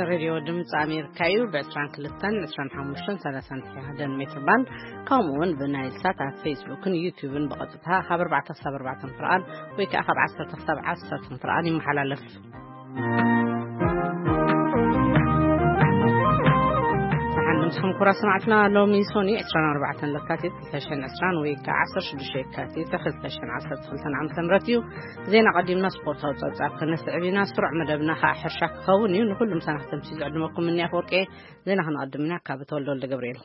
ሬድዮ ድምፂ ኣሜሪካ እዩ። ብ22፣ 25፣ 31 ሜትር ባንድ፣ ከምኡ እውን ብናይል ሳት ኣብ ፌስቡክን ዩቲዩብን ብቐጥታ ካብ ኣርባዕተ ክሳብ ኣርባዕተ ፍርቓን ወይ ከዓ ካብ ዓሰርተ ክሳብ ዓሰርተ ፍርቓን ይመሓላለፍ። ሰሓን ምስኹም ኩራ ሰማዕትና፣ ሎሚ ሶኒ ዕስራን ኣርባዕተን ለካቲት ክልተ ሽሕን ዕስራን ወይ ከዓ ዓሰርተ ሽዱሽተ የካቲት ክልተ ሽሕን ዓሰርተ ክልተን ዓመተ ምህረት እዩ። ዜና ቀዲምና ስፖርታዊ ጸብጻብ ከነስዕብ ኢና። ስሩዕ መደብና ከዓ ሕርሻ ክኸውን እዩ። ንኹሉ ምሳና ክተምሲ ዝዕድመኩም እኒ ኣፈወርቂ። ዜና ክነቐድም ኢና ካብ ተወልደ ወልደ ገብርኤል።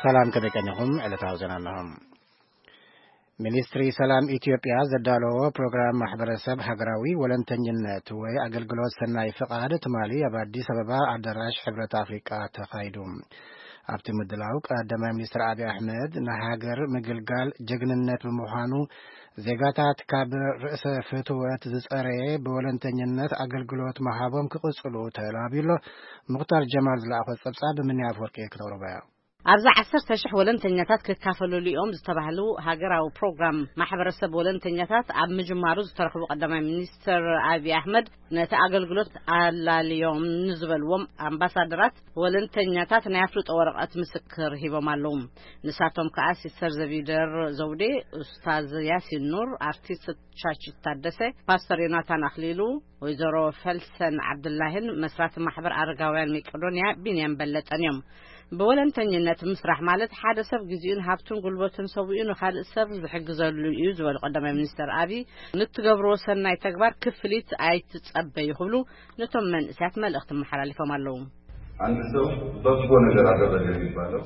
ሰላም፣ ከመይ ቀኒኹም? ዕለታዊ ዜና እነሆ። ሚኒስትሪ ሰላም ኢትዮጵያ ዘዳለዎ ፕሮግራም ማሕበረሰብ ሃገራዊ ወለንተኝነት ወይ ኣገልግሎት ሰናይ ፍቓድ ትማሊ ኣብ ኣዲስ ኣበባ ኣዳራሽ ሕብረት ኣፍሪቃ ተኻይዱ። ኣብቲ ምድላው ቀዳማይ ሚኒስትር ኣብይ ኣሕመድ፣ ንሃገር ምግልጋል ጀግንነት ብምዃኑ ዜጋታት ካብ ርእሰ ፍትወት ዝጸረየ ብወለንተኝነት ኣገልግሎት ምሃቦም ክቕጽሉ ተላብዩ ኣሎ። ሙኽታር ጀማል ዝለኣኾ ጸብጻብ ብምንያ ኣፈወርቂ ክተቕርቦ እያ። ኣብዚ ዓሰርተ ሽሕ ወለንተኛታት ክካፈለሉ እዮም ዝተባህሉ ሃገራዊ ፕሮግራም ማሕበረሰብ ወለንተኛታት ኣብ ምጅማሩ ዝተረኽቡ ቀዳማይ ሚኒስትር ኣብይ ኣሕመድ፣ ነቲ ኣገልግሎት ኣላልዮም ንዝበልዎም ኣምባሳደራት ወለንተኛታት ናይ ኣፍልጦ ወረቐት ምስክር ሂቦም ኣለዉ። ንሳቶም ከዓ ሲስተር ዘቢደር ዘውዴ፣ ኡስታዝ ያሲን ኑር፣ ኣርቲስት ቻቺት ታደሰ፣ ፓስተር ዮናታን ኣኽሊሉ፣ ወይዘሮ ፈልሰን ዓብዱላሂን መስራቲ ማሕበር ኣረጋውያን መቄዶንያ ቢንያም በለጠን እዮም። ብወለንተኝነት ምስራሕ ማለት ሓደ ሰብ ግዜኡን ሃብቱን ጉልበቱን ሰዊኡ ንኻልእ ሰብ ዝሕግዘሉ እዩ ዝበሉ ቀዳማይ ሚኒስትር ኣብይ፣ ንትገብርዎ ሰናይ ተግባር ክፍሊት ኣይትጸበዩ ክብሉ ነቶም መንእሰያት መልእኽቲ መሓላሊፎም ኣለዉ። አንድ ሰው በጎ ነገር አደረገ የሚባለው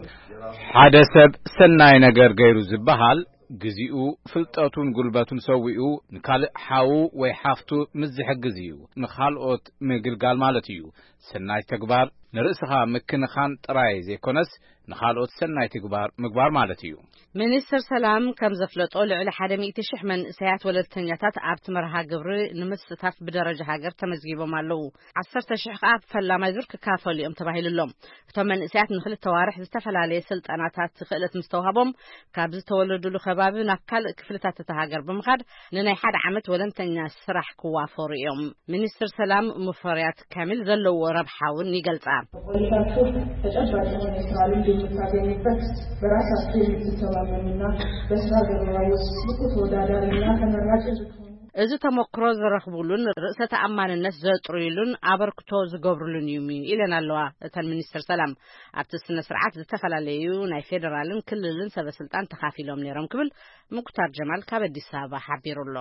ሓደ ሰብ ሰናይ ነገር ገይሩ ዝበሃል፣ ግዜኡ፣ ፍልጠቱን ጉልበቱን ሰዊኡ ንካልእ ሓዉ ወይ ሓፍቱ ምስ ዝሕግዝ እዩ። ንኻልኦት ምግልጋል ማለት እዩ። ሰናይ ተግባር ንርእስኻ ምክንኻን ጥራይ ዘይኮነስ፣ ንኻልኦት ሰናይ ተግባር ምግባር ማለት እዩ። ሚኒስትር ሰላም ከም ዘፍለጦ፣ ልዕሊ ሓደ ሚእቲ ሽሕ መንእሰያት ወለልተኛታት ኣብቲ መርሃ ግብሪ ንምስታፍ ብደረጃ ሃገር ተመዝጊቦም ኣለዉ። ዓሰርተ ሽሕ ከኣ ኣብ ፈላማይ ዙር ክካፈሉ እዮም ተባሂሉ ኣሎ። እቶም መንእሰያት ንክልተ ዋርሕ ዝተፈላለየ ስልጠናታት ክእለት ምስ ተዋህቦም፣ ካብ ዝተወለዱሉ ከባቢ ናብ ካልእ ክፍልታት እታ ሃገር ብምኻድ ንናይ ሓደ ዓመት ወለንተኛ ስራሕ ክዋፈሩ እዮም። ሚኒስትር ሰላም ሙፈሪያት ካሚል ዘለዎ ረብሓ እውን ይገልጻ። ቆይታችሁ ተጨባጭ የሆነ የስራ ልምድ የምታገኙበት፣ በራሳችሁ የምትተማመኑና በስራ ገበያ ውስጥ ብቁ ተወዳዳሪና ተመራጭ እንድትሆኑ እዚ ተመክሮ ዝረኽቡሉን ርእሰ ተኣማንነት ዘጥርዩሉን ኣበርክቶ ዝገብሩሉን እዩ ኢለን ኣለዋ። እተን ሚኒስትር ሰላም ኣብቲ ስነ ስርዓት ዝተፈላለዩ ናይ ፌዴራልን ክልልን ሰበ ስልጣን ተኻፊሎም ነይሮም ክብል ሙክታር ጀማል ካብ ኣዲስ ኣበባ ሓቢሩ ኣሎ።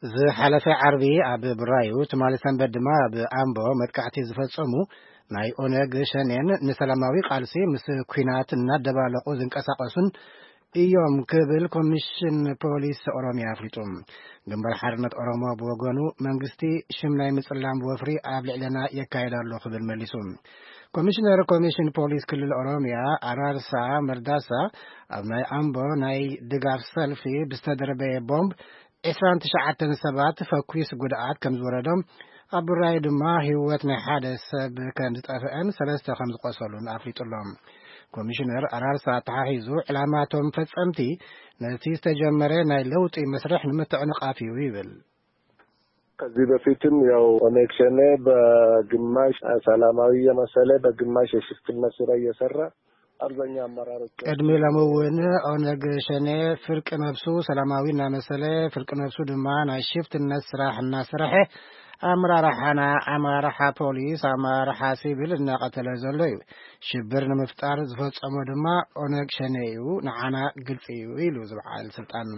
ዝሓለፈ ዓርቢ ኣብ ብራዩ፣ ትማሊ ሰንበት ድማ ኣብ ኣምቦ መጥቃዕቲ ዝፈጸሙ ናይ ኦነግ ሸኔን ንሰላማዊ ቃልሲ ምስ ኲናት እናደባለቑ ዝንቀሳቐሱን እዮም ክብል ኮሚሽን ፖሊስ ኦሮሚያ ኣፍሊጡ። ግንባር ሓርነት ኦሮሞ ብወገኑ መንግስቲ ሽም ናይ ምጽላም ወፍሪ ኣብ ልዕለና የካየድ ኣሎ ክብል መሊሱ። ኮሚሽነር ኮሚሽን ፖሊስ ክልል ኦሮሚያ ኣራርሳ መርዳሳ ኣብ ናይ ኣምቦ ናይ ድጋፍ ሰልፊ ብዝተደርበየ ቦምብ ዕስራን ትሽዓተን ሰባት ፈኲስ ጉድኣት ከም ዝወረዶም፣ ኣብ ብራዩ ድማ ህይወት ናይ ሓደ ሰብ ከም ዝጠፍአን ሰለስተ ከም ዝቆሰሉን ኣፍሊጡ ኣሎ። ኮሚሽነር ኣራርሳ ኣተሓሒዙ፣ ዕላማቶም ፈጸምቲ ነቲ ዝተጀመረ ናይ ለውጢ መስርሕ ንምትዕንቓፍ እዩ ይብል። ከዚህ በፊትም ያው ኦነግ ሸኔ በግማሽ ሰላማዊ እየመሰለ በግማሽ የሽፍትነት ስራ እየሰራ አብዛኛው አመራሮች ቅድሚ ሎሚ እውን ኦነግ ሸኔ ፍርቂ ነብሱ ሰላማዊ እናመሰለ፣ ፍርቂ ነብሱ ድማ ናይ ሽፍትነት ስራሕ እናሰርሐ፣ ኣመራርሓና፣ ኣመራርሓ ፖሊስ፣ ኣመራርሓ ሲቪል እናቐተለ ዘሎ እዩ። ሽብር ንምፍጣር ዝፈጸሞ ድማ ኦነግ ሸኔ እዩ፣ ንዓና ግልጺ እዩ ኢሉ ዝበዓል ስልጣን።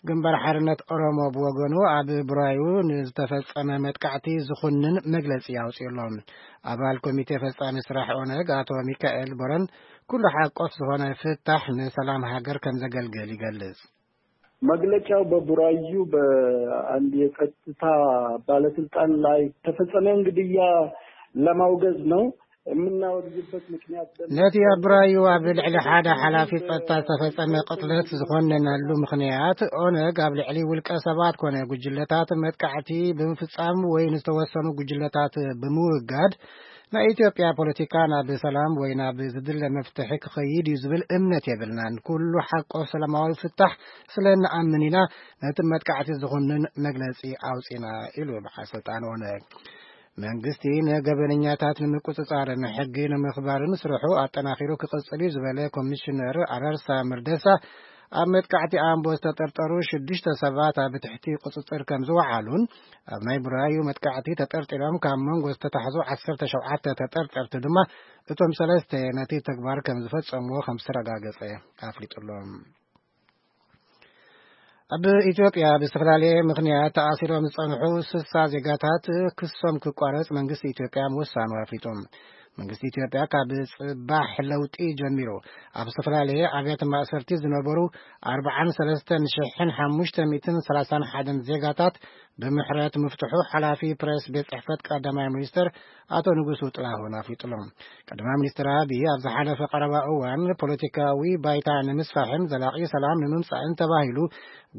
ግንባር ሓርነት ኦሮሞ ብወገኑ ኣብ ብራዩ ንዝተፈጸመ መጥቃዕቲ ዝኹንን መግለጺ ኣውጺኡ ኣሎ። ኣባል ኮሚቴ ፈጻሚ ስራሕ ኦነግ ኣቶ ሚካኤል ቦረን፣ ኩሉ ሓቆፍ ዝኾነ ፍታሕ ንሰላም ሃገር ከም ዘገልግል ይገልጽ። መግለጫው በቡራዩ በአንድ የጸጥታ ባለስልጣን ላይ ተፈጸመውን ግድያ ለማውገዝ ነው። የምናወግዝበት ምክንያት ደግሞ ነቲ ኣብ ቡራዩ ኣብ ልዕሊ ሓደ ሓላፊ ጸጥታ ዝተፈጸመ ቅትለት ዝኾነነሉ ምኽንያት፣ ኦነግ ኣብ ልዕሊ ውልቀ ሰባት ኮነ ጉጅለታት መጥቃዕቲ ብምፍጻም ወይ ንዝተወሰኑ ጉጅለታት ብምውጋድ ናይ ኢትዮጵያ ፖለቲካ ናብ ሰላም ወይ ናብ ዝድለ መፍትሒ ክኸይድ እዩ ዝብል እምነት የብልናን። ኩሉ ሓቆ ሰላማዊ ፍታሕ ስለ እንኣምን ኢና ነቲ መጥቃዕቲ ዝኹንን መግለጺ ኣውጺና ኢሉ በዓል ስልጣን ኦነግ። መንግስቲ ንገበነኛታት ንምቁጽጻርን ሕጊ ንምኽባርን ስርሑ ኣጠናኺሩ ክቕጽል እዩ ዝበለ ኮሚሽነር ኣራርሳ መርደሳ፣ ኣብ መጥቃዕቲ ኣምቦ ዝተጠርጠሩ ሽዱሽተ ሰባት ኣብ ትሕቲ ቁጽጽር ከም ዝወዓሉን፣ ኣብ ናይ ቡራዩ መጥቃዕቲ ተጠርጢሮም ካብ መንጎ ዝተታሕዙ ዓሰርተ ሸውዓተ ተጠርጠርቲ ድማ እቶም ሰለስተ ነቲ ተግባር ከም ዝፈጸምዎ ከም ዝተረጋገጸ ኣፍሊጡ ኣሎ። ኣብ ኢትዮጵያ ብዝተፈላለየ ምኽንያት ተኣሲሮም ዝጸንሑ ስሳ ዜጋታት ክሶም ክቋረጽ መንግስቲ ኢትዮጵያ ምውሳኑ ኣፍሊጡ። መንግስቲ ኢትዮጵያ ካብ ጽባሕ ለውጢ ጀሚሩ ኣብ ዝተፈላለየ ኣብያተ ማእሰርቲ ዝነበሩ ኣርባዓን ሰለስተን ሽሕን ሓሙሽተ ሚእትን ሰላሳን ሓደን ዜጋታት ብምሕረት ምፍትሑ ሓላፊ ፕሬስ ቤት ጽሕፈት ቀዳማይ ሚኒስትር ኣቶ ንጉሱ ጥላሁን ኣፍሊጡሎም። ቀዳማይ ሚኒስትር ኣቢይ ኣብ ዝሓለፈ ቀረባ እዋን ፖለቲካዊ ባይታ ንምስፋሕን ዘላቒ ሰላም ንምምጻእን ተባሂሉ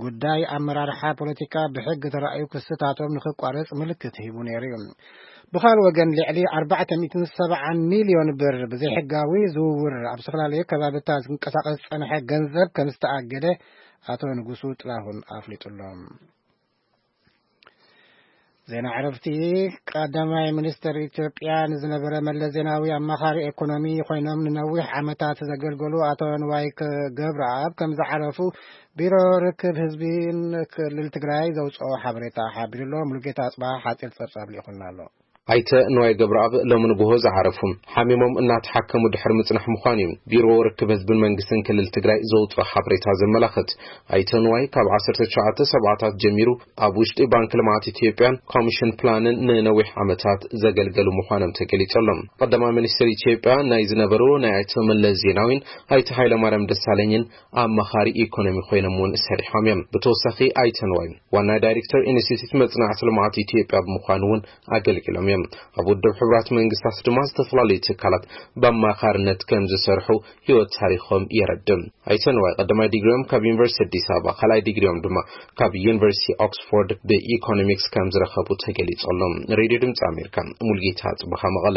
ጉዳይ ኣመራርሓ ፖለቲካ ብሕጊ ተራእዩ ክስታቶም ንኽቋረጽ ምልክት ሂቡ ነይሩ እዩ። ብኻልእ ወገን ልዕሊ ኣርባዕተ ሚእትን ሰብዓን ሚልዮን ብር ብዘይሕጋዊ ዝውውር ኣብ ዝተፈላለዩ ከባብታት ዝንቀሳቐስ ዝጸንሐ ገንዘብ ከም ዝተኣገደ ኣቶ ንጉሱ ጥላሁን ኣፍሊጡሎም። ዜና ዕረፍቲ። ቀዳማይ ሚኒስትር ኢትዮጵያ ንዝነበረ መለስ ዜናዊ ኣማኻሪ ኢኮኖሚ ኮይኖም ንነዊሕ ዓመታት ዘገልገሉ ኣቶ ንዋይ ገብረኣብ ከም ዝዓረፉ ቢሮ ርክብ ህዝቢን ክልል ትግራይ ዘውፅኦ ሓበሬታ ሓቢሩ ኣሎ። ሙሉጌታ ኣፅባ ሓፂር ፀብፃብ ልኢኹልና ኣሎ። ኣይተ ንዋይ ገብረኣብ ሎሚ ንግሆ ዝዓረፉ፣ ሓሚሞም እናተሓከሙ ድሕሪ ምጽናሕ ምዃኑ እዩ ቢሮ ርክብ ህዝብን መንግስትን ክልል ትግራይ ዘውፅኦ ሓበሬታ ዘመላኽት። ኣይተ ንዋይ ካብ ዓሰርተ ትሽዓተ ሰብዓታት ጀሚሩ ኣብ ውሽጢ ባንክ ልምዓት ኢትዮጵያን ኮሚሽን ፕላንን ንነዊሕ ዓመታት ዘገልገሉ ምዃኖም ተገሊጹ ኣሎ። ቀዳማይ ሚኒስትር ኢትዮጵያ ናይ ዝነበሩ ናይ ኣይተ መለስ ዜናዊን ኣይተ ሃይለማርያም ደሳለኝን ኣማኻሪ ኢኮኖሚ ኮይኖም እውን ሰሪሖም እዮም። ብተወሳኺ ኣይተ ንዋይ ዋና ዳይሬክተር ኢንስቲትዩት መጽናዕቲ ልምዓት ኢትዮጵያ ብምዃን እውን ኣገልጊሎም እዮም። ኣብ ውድብ ሕቡራት መንግስታት ድማ ዝተፈላለዩ ትካላት ብኣማኻርነት ከም ዝሰርሑ ህይወት ታሪኾም የረድእ። ኣይተ ንዋይ ቀዳማይ ዲግሪኦም ካብ ዩኒቨርሲቲ ኣዲስ ኣበባ፣ ካልኣይ ዲግሪኦም ድማ ካብ ዩኒቨርሲቲ ኦክስፎርድ ብኢኮኖሚክስ ከም ዝረኸቡ ተገሊጹ ኣሎ። ሬድዮ ድምፂ ኣሜሪካ፣ ሙልጌታ ጽብኻ መቐለ።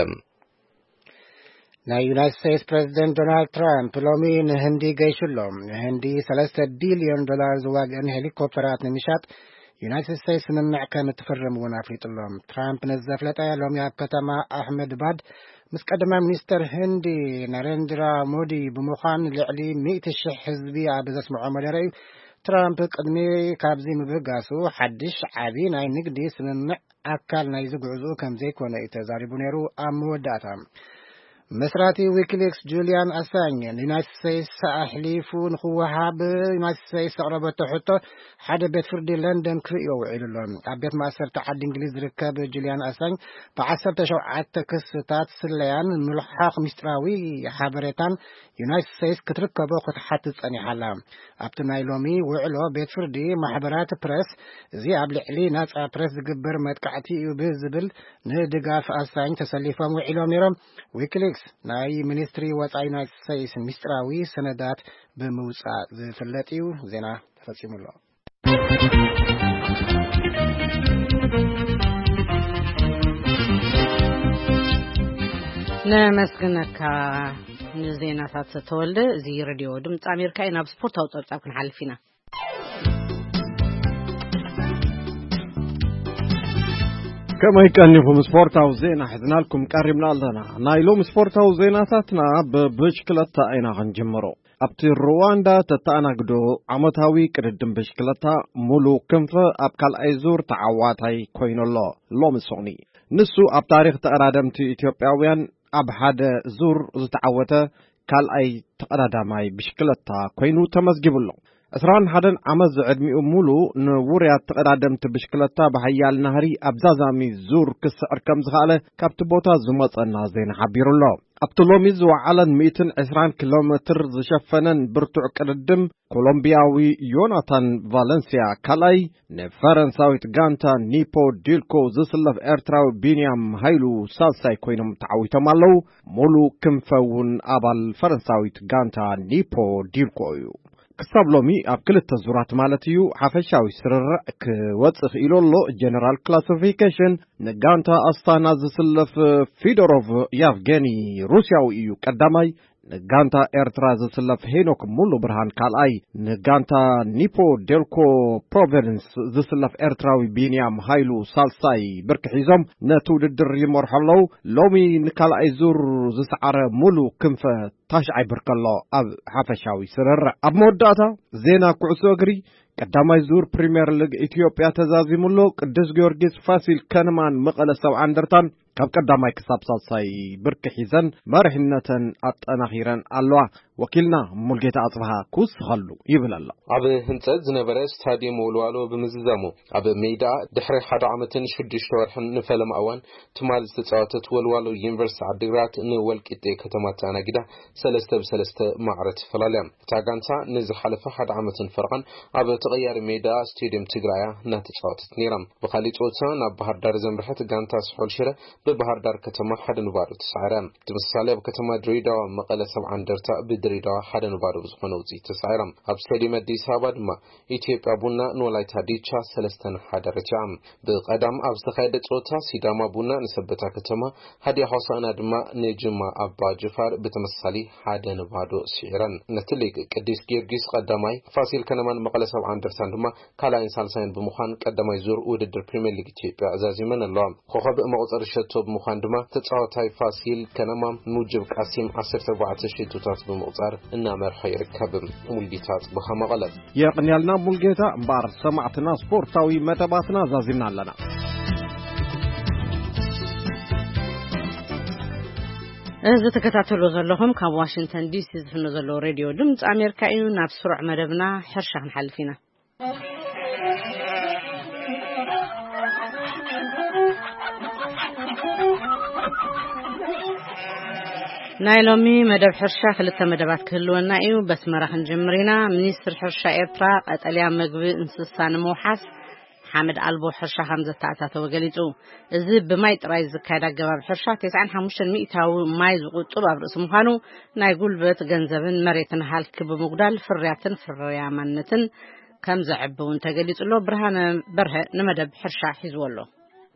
ናይ ዩናይትድ ስቴትስ ፕሬዚደንት ዶናልድ ትራምፕ ሎሚ ንህንዲ ገይሹ ኣሎ። ንህንዲ ሰለስተ ቢልዮን ዶላር ዝዋግአን ሄሊኮፕተራት ንምሻጥ ዩናይትድ ስቴትስ ስምምዕ ከም እትፍርም እውን ኣፍሊጡ ኣሎ። ትራምፕ ነዚ ዘፍለጠ ሎሚ ኣብ ከተማ ኣሕመድባድ ምስ ቀዳማይ ሚኒስተር ህንዲ ናሬንድራ ሞዲ ብምዃን ልዕሊ ሚእቲ ሽሕ ህዝቢ ኣብ ዘስምዖ መደረ እዩ። ትራምፕ ቅድሚ ካብዚ ምብጋሱ ሓድሽ ዓቢ ናይ ንግዲ ስምምዕ ኣካል ናይዚ ጉዕዞ ከም ዘይኮነ እዩ ተዛሪቡ ነይሩ። ኣብ መወዳእታ መስራቲ ዊኪሊክስ ጁልያን ኣሳኝ ንዩናይትድ ስቴትስ ኣሕሊፉ ንኽወሃብ ዩናይትድ ስቴትስ ዘቕረበቶ ሕቶ ሓደ ቤት ፍርዲ ለንደን ክርእዮ ውዒሉ ኣሎ። ኣብ ቤት ማእሰርቲ ዓዲ እንግሊዝ ዝርከብ ጁልያን ኣሳኝ ብዓሰርተ ሸውዓተ ክስታት ስለያን ምልሓኽ ሚስጥራዊ ሓበሬታን ዩናይትድ ስቴትስ ክትርከቦ ክትሓትት ጸኒሓ ኣላ። ኣብቲ ናይ ሎሚ ውዕሎ ቤት ፍርዲ ማሕበራት ፕረስ እዚ ኣብ ልዕሊ ናጻ ፕረስ ዝግበር መጥቃዕቲ እዩ ብዝብል ንድጋፍ ኣሳኝ ተሰሊፎም ውዒሎም ነይሮም። ዊኪሊክስ ናይ ሚኒስትሪ ወጻኢ ዩናይትድ ስቴትስ ሚስጥራዊ ሰነዳት ብምውጻእ ዝፍለጥ እዩ። ዜና ተፈጺሙ ኣሎ። ነመስግነካ ንዜናታት ተወልደ። እዚ ሬድዮ ድምፂ ኣሜሪካ እዩ። ናብ ስፖርታዊ ፀብፃብ ክንሓልፍ ኢና። ከመይ ቀኒኹም? ስፖርታዊ ዜና ሒዝናልኩም ቀሪብና ኣለና። ናይ ሎሚ ስፖርታዊ ዜናታትና ብብሽክለታ ኢና ክንጅምሮ። ኣብቲ ሩዋንዳ ተተኣናግዶ ዓመታዊ ቅድድም ብሽክለታ ሙሉ ክንፈ ኣብ ካልኣይ ዙር ተዓዋታይ ኮይኑ ኣሎ። ሎሚ ሶኒ ንሱ ኣብ ታሪኽ ተቐዳደምቲ ኢትዮጵያውያን ኣብ ሓደ ዙር ዝተዓወተ ካልኣይ ተቐዳዳማይ ብሽክለታ ኮይኑ ተመዝጊቡ ኣሎ። ዕስራን ሓደን ዓመት ዝዕድሚኡ ሙሉ ንውሩያት ተቐዳደምቲ ብሽክለታ ብሓያል ናህሪ ኣብ ዛዛሚ ዙር ክስዕር ከም ዝኸኣለ ካብቲ ቦታ ዝመጸና ዜና ሓቢሩ ኣሎ። ኣብቲ ሎሚ ዝወዓለን ሚእትን ዕስራን ኪሎ ሜትር ዝሸፈነን ብርቱዕ ቅድድም፣ ኮሎምቢያዊ ዮናታን ቫለንሲያ ካልኣይ፣ ንፈረንሳዊት ጋንታ ኒፖ ዲልኮ ዝስለፍ ኤርትራዊ ቢንያም ሃይሉ ሳልሳይ ኮይኖም ተዓዊቶም ኣለዉ። ሙሉ ክንፈ እውን ኣባል ፈረንሳዊት ጋንታ ኒፖ ዲልኮ እዩ። ክሳብ ሎሚ ኣብ ክልተ ዙራት ማለት እዩ፣ ሓፈሻዊ ስርርዕ ክወጽእ ክኢሉ ኣሎ። ጀነራል ክላሲፊኬሽን ንጋንታ ኣስታና ዝስለፍ ፊዶሮቭ ያቭጌኒ ሩስያዊ እዩ ቀዳማይ። ንጋንታ ኤርትራ ዝስለፍ ሄኖክ ሙሉ ብርሃን ካልኣይ። ንጋንታ ኒፖ ዴልኮ ፕሮቪደንስ ዝስለፍ ኤርትራዊ ቢንያም ሃይሉ ሳልሳይ ብርኪ ሒዞም ነቲ ውድድር ይመርሑ ኣለዉ። ሎሚ ንካልኣይ ዙር ዝሰዓረ ሙሉ ክንፈ ታሽዓይ ብርኪ ኣሎ ኣብ ሓፈሻዊ ስርርዕ። ኣብ መወዳእታ ዜና ኩዕሶ እግሪ፣ ቀዳማይ ዙር ፕሪምየር ሊግ ኢትዮጵያ ተዛዚሙ ኣሎ። ቅዱስ ጊዮርጊስ፣ ፋሲል ከነማን መቐለ ሰብዓ እንደርታን ካብ ቀዳማይ ክሳብ ሳልሳይ ብርኪ ሒዘን መሪሕነተን ኣጠናኺረን ኣለዋ። ወኪልና ሙልጌታ ኣጽብሃ ክውስኸሉ ይብል ኣሎ። ኣብ ህንጸት ዝነበረ ስታዲየም ወልዋሎ ብምዝዛሙ፣ ኣብ ሜዳ ድሕሪ ሓደ ዓመትን ሽዱሽተ ወርሕን ንፈለማ እዋን ትማል ዝተጻወተት ወልዋሎ ዩኒቨርሲቲ ዓዲግራት ንወልቂጤ ከተማ ተኣናጊዳ ሰለስተ ብ ሰለስተ ማዕረ ተፈላልያ። እታ ጋንታ ንዝሓለፈ ሓደ ዓመትን ፈረቓን ኣብ ተቐያሪ ሜዳ ስቴድየም ትግራያ እናተጻወተት ነይራ። ብኻሊእ ጸወታ ናብ ባህር ዳር ዘምርሐት ጋንታ ስሑል ሽረ ብባህር ዳር ከተማ ሓደ ንባዶ ተሳዒራ። ብተመሳሳሊ ኣብ ከተማ ድሬዳዋ መቐለ ሰብዓ እንደርታ ብድሬዳዋ ሓደ ንባዶ ብዝኾነ ውጽኢት ተሳዒራ። ኣብ ስቴድየም ኣዲስ ኣበባ ድማ ኢትዮጵያ ቡና ንወላይታ ዲቻ ሰለስተ ንሓደ ረቲዖም። ብቐዳም ኣብ ዝተኻየደ ጸወታ ሲዳማ ቡና ንሰበታ ከተማ፣ ሃዲያ ሆሳዕና ድማ ንጅማ ኣባ ጅፋር ብተመሳሳሊ ሓደ ንባዶ ስዒረን። ነቲ ሊግ ቅዱስ ጊዮርጊስ ቀዳማይ፣ ፋሲል ከነማን መቐለ ሰብዓ እንደርታን ድማ ካልኣይን ሳልሳይን ብምዃን ቀዳማይ ዙር ውድድር ፕሪምየር ሊግ ኢትዮጵያ ዛዚመን ኣለዋ። ኮኸብ መቑጸሪ ሸቶ ብምዃን ድማ ተጻዋታይ ፋሲል ከነማ ሙጅብ ቃሲም ዓሰርተ ኣርባዕተ ሸቶታት ብምቑጻር እናመርሖ ይርከብ። ሙልጌታ ጽቡኻ መቐለ። የቕንያልና ሙልጌታ። እምበኣር ሰማዕትና ስፖርታዊ መደባትና ዛዚምና ኣለና። እዚ ትከታተሉ ዘለኹም ካብ ዋሽንግተን ዲሲ ዝፍኖ ዘሎ ሬድዮ ድምፂ ኣሜሪካ እዩ። ናብ ስሩዕ መደብና ሕርሻ ክንሓልፍ ኢና። ናይ ሎሚ መደብ ሕርሻ ክልተ መደባት ክህልወና እዩ። በስመራ ክንጅምር ኢና። ሚኒስትር ሕርሻ ኤርትራ ቀጠልያ መግቢ እንስሳ ንምውሓስ ሓመድ ኣልቦ ሕርሻ ከም ዘተኣታተወ ገሊጹ። እዚ ብማይ ጥራይ ዝካየድ ኣገባብ ሕርሻ ተስዓን ሓሙሽተን ሚእታዊ ማይ ዝቁጥብ ኣብ ርእሲ ምዃኑ ናይ ጉልበት፣ ገንዘብን መሬትን ሃልኪ ብምጉዳል ፍርያትን ፍርያማነትን ከም ዘዕቢ እውን ተገሊጹ ኣሎ። ብርሃነ በርሀ ንመደብ ሕርሻ ሒዝዎ ኣሎ።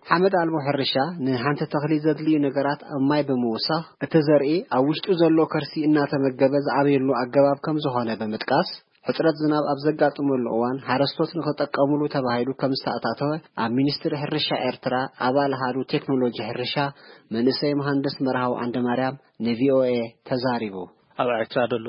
ሓመድ ኣልቦ ሕርሻ ንሓንቲ ተኽሊ ዘድልዩ ነገራት ኣብ ማይ ብምውሳኽ፣ እቲ ዘርኢ ኣብ ውሽጡ ዘሎ ከርሲ እናተመገበ ዝዓብየሉ ኣገባብ ከም ዝኾነ ብምጥቃስ፣ ሕጽረት ዝናብ ኣብ ዘጋጥመሉ እዋን ሓረስቶት ንኽጠቀሙሉ ተባሂሉ ከም ዝተኣታተወ ኣብ ሚኒስትሪ ሕርሻ ኤርትራ ኣባል ኣሃዱ ቴክኖሎጂ ሕርሻ መንእሰይ መሃንድስ መርሃዊ ዓንደማርያም ንቪኦኤ ተዛሪቡ። ኣብ ኤርትራ ዘሎ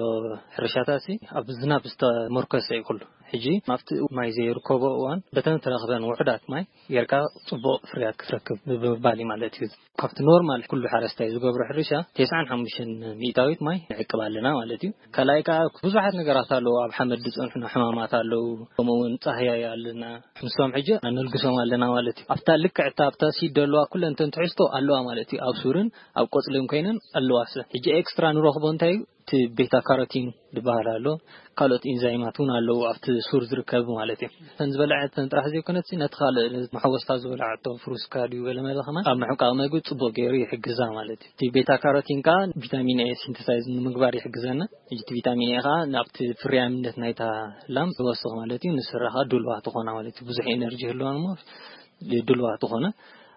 ሕርሻታሲ ኣብ ዝናብ ዝተሞርከሰ እዩ ኩሉ። ሕጂ ኣብቲ ማይ ዘይርከቦ እዋን በተን ተረኽበን ውሑዳት ማይ ጌርካ ጽቡቕ ፍርያት ክትረክብ ብምባል እዩ ማለት እዩ። ካብቲ ኖርማል ኩሉ ሓረስታይ ዝገብሮ ሕርሻ ተስዓን ሓሙሽተን ሚእታዊት ማይ ንዕቅብ ኣለና ማለት እዩ። ካልኣይ ከኣ ብዙሓት ነገራት ኣለዉ። ኣብ ሓመድ ዝጸንሑና ሕማማት ኣለዉ። ከምኡ እውን ጻህያይ ኣለና። ንሶም ሕጂ ኣነልግሶም ኣለና ማለት እዩ። ኣብታ ልክዕ እታ ኣብታ ሲድ ዘለዋ ኩለን እተን ትሕዝቶ ኣለዋ ማለት እዩ። ኣብ ሱርን ኣብ ቆጽልን ኮይነን ኣለዋ። ሕጂ ኤክስትራ ንረኽቦ እንታይ እዩ? እቲ ቤታ ካሮቲን ዝበሃል ኣሎ። ካልኦት ኢንዛይማት እውን ኣለዉ ኣብቲ ሱር ዝርከብ ማለት እዩ። እተን ዝበልዐተን ጥራሕ ዘይኮነትሲ ነቲ ካልእ መሐወስታ ዝበልዓቶ ፍሩስካ ድዩ ገለ መለ ከማን ኣብ ምሕቃቕ መግቢ ጽቡቕ ገይሩ ይሕግዛ ማለት እዩ። እቲ ቤታ ካሮቲን ከኣ ቪታሚን ኤ ሲንተሳይዝ ንምግባር ይሕግዘና። ሕጂ እቲ ቪታሚን ኤ ከኣ ናብቲ ፍርያምነት ናይታ ላም ይወስኽ ማለት እዩ። ንስራ ከኣ ድልዋ ትኾና ማለት እዩ። ብዙሕ ኤነርጂ ይህልዋ እሞ ድልዋ ትኾነ።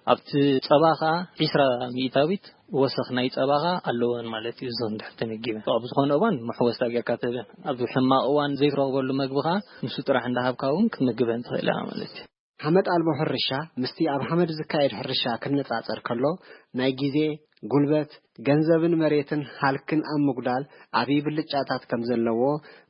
ኣብቲ ጸባ ከኣ ዒስራ ሚእታዊት ወሰኽ ናይ ጸባ ከኣ ኣለወን ማለት እዩ። እዞን ድሕር ተመጊበን ኣብ ዝኾነ እዋን መሕወስታ ጌርካ ትህበን። ኣብ ሕማቕ እዋን ዘይትረኽበሉ መግቢ ከኣ ንሱ ጥራሕ እንዳሃብካ እውን ክትምግበን ትኽእል ኢኻ ማለት እዩ። ሓመድ ኣልቦ ሕርሻ ምስቲ ኣብ ሓመድ ዝካየድ ሕርሻ ክነጻጸር ከሎ ናይ ግዜ፣ ጉልበት፣ ገንዘብን መሬትን ሃልክን ኣብ ምጉዳል ዓብዪ ብልጫታት ከም ዘለዎ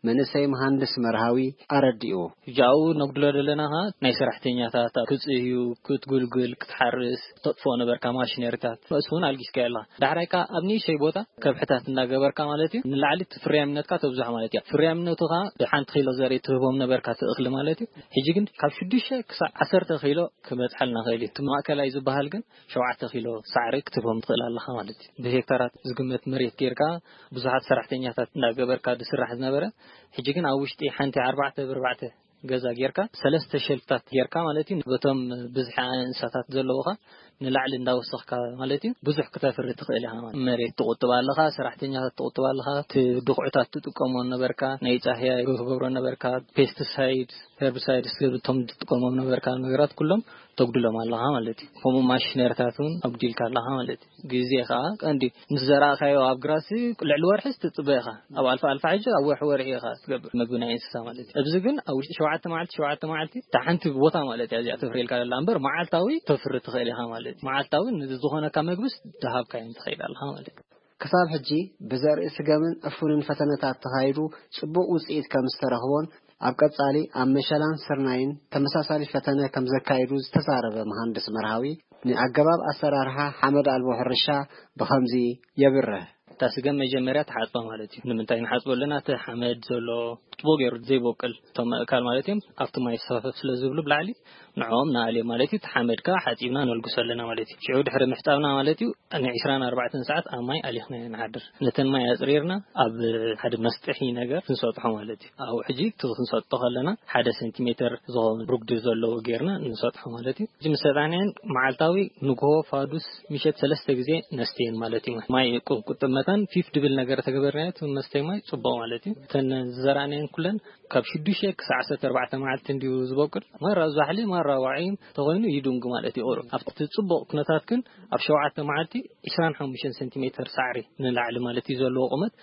መንእሰይ መሃንድስ መርሃዊ ኣረዲኡ። ሕጂ ኣብኡ ነጉድሎ ዘለና ኸኣ ናይ ሰራሕተኛታት፣ ኣብ ክትጽህዩ፣ ክትጉልጉል፣ ክትሓርስ፣ ተጥፍኦ ነበርካ ማሽነሪታት፣ እሱ እውን ኣልጊስካዮ ኣለኻ። ዳሕራይ ከኣ ኣብ ንእሽተይ ቦታ ከብሕታት እንዳገበርካ ማለት እዩ፣ ንላዕሊ እቲ ፍርያምነትካ ተብዝሖ ማለት እዩ። ፍርያምነቱ ኸኣ ብሓንቲ ኪሎ ዘርኢ ትህቦም ነበርካ እቲ እኽሊ ማለት እዩ። ሕጂ ግን ካብ ሽዱሽተ ክሳብ ዓሰርተ ኪሎ ክበጽሐልና ኽእል እዩ። እቲ ማእከላይ ዝበሃል ግን ሸውዓተ ኪሎ ሳዕሪ ክትህቦም ትኽእል ኣለኻ ማለት እዩ። ብሄክታራት ዝግመት መሬት ጌርካ ብዙሓት ሰራሕተኛታት እንዳገበርካ ዝስራሕ ዝነበረ፣ ሕጂ ግን ኣብ ውሽጢ ሓንቲ ኣርባዕተ ብኣርባዕተ ገዛ ጌርካ ሰለስተ ሸልፍታት ጌርካ ማለት እዩ። በቶም ብዝሒ እንስሳታት ዘለውኻ ንላዕሊ እንዳወሰኽካ ማለት እዩ፣ ብዙሕ ክተፍሪ ትኽእል ኢኻ ማለት እዩ። መሬት ትቑጥብ ኣለኻ፣ ሰራሕተኛታት ትቑጥብ ኣለኻ፣ እቲ ድኹዕታት ትጥቀሞ ነበርካ፣ ናይ ጻህያይ ትገብሮ ነበርካ፣ ፔስቲሳይድ፣ ሄርቢሳይድ፣ እቶም ትጥቀሞም ነበርካ ነገራት ኩሎም ተጉድሎም ኣለኻ ማለት እዩ። ከምኡ ማሽነሪታት እውን ኣጉዲልካ ኣለኻ ማለት እዩ። ግዜ ኸኣ ቀንዲ ምስ ዘራእካዮ ኣብ ግራሲ ልዕሊ ወርሒ ትጽበ ኢኻ። ኣብ ኣልፋ ኣልፋ ሕጂ ኣብ ወርሒ ወርሒ ኢኻ ትገብር መግቢ ናይ እንስሳ ማለት እዩ። ኣብዚ ግን ኣብ ውሽጢ ሸውዓተ መዓልቲ፣ ሸውዓተ መዓልቲ እታ ሓንቲ ቦታ ማለት እያ እዚኣ ተፍርየልካ ዘላ እምበር መዓልታዊ ተፍሪ ትኽእል ኢኻ ማለት እዩ። መዓልታዊ ንዝኾነካ መግብስ ዝሃብካዮ ትኸይድ ኣለኻ ማለት እዩ። ክሳብ ሕጂ ብዘርኢ ስገምን ዕፉንን ፈተነታት ተኻይዱ ጽቡቕ ውጽኢት ከም ዝተረኽቦን ኣብ ቀጻሊ ኣብ መሸላን ስርናይን ተመሳሳሊ ፈተነ ከም ዘካይዱ ዝተዛረበ መሃንድስ መርሃዊ፣ ንኣገባብ ኣሰራርሓ ሓመድ ኣልቦ ሕርሻ ብኸምዚ የብርህ። እታ ስገም መጀመርያ ትሓጽባ ማለት እዩ። ንምንታይ ንሓጽቦ ኣለና? እቲ ሓመድ ዘሎ ጽቡቕ ገይሩ ዘይበቁል እቶም ኣእካል ማለት እዮም ኣብቲ ማይ ሰፈፍ ስለ ዝብሉ ብላዕሊ ንዕኦም ንኣልዮም ማለት እዩ። እቲ ሓመድ ከኣ ሓጺብና ነልግሶ ኣለና ማለት እዩ። ሽዑ ድሕሪ ምሕጻብና ማለት እዩ ንዒስራን ኣርባዕተን ሰዓት ኣብ ማይ ኣሊኽና ኢና ንሓድር። ነተን ማይ ኣጽሪርና ኣብ ሓደ መስጥሒ ነገር ክንሰጥሖ ማለት እዩ። ኣብኡ ሕጂ እቲ ክንሰጥሖ ከለና ሓደ ሴንቲሜተር ዝኸውን ርጉዲ ዘለዎ ጌርና ንሰጥሖ ማለት እዩ። ሕጂ ምስ ሰጣሕናየን መዓልታዊ ንግሆ፣ ፋዱስ፣ ምሸት ሰለስተ ግዜ ነስተየን ማለት እዩ። ማይ ቁ-፣ ቁጥብ መታን ፊፍ ድብል ነገር ተገበርናዮ እቲ መስተይ ማይ ጽቡቕ ማለት እዩ። እተን ዝዘራእናየን ኩለን ካብ ሽዱሽተ ክሳዕ ዓሰርተ ኣርባዕተ መዓልቲ እንድዩ ዝበቁል። ማራ ዛሕሊ፣ ማራ ዋዒ ተኾይኑ ይድንጉ ማለት እዩ ቁሩብ። ኣብቲ ጽቡቕ ኩነታት ግን ኣብ ሸውዓተ መዓልቲ ዒስራን ሓሙሽተን ሴንቲሜተር ሳዕሪ ንላዕሊ ማለት እዩ ዘለዎ ቁመት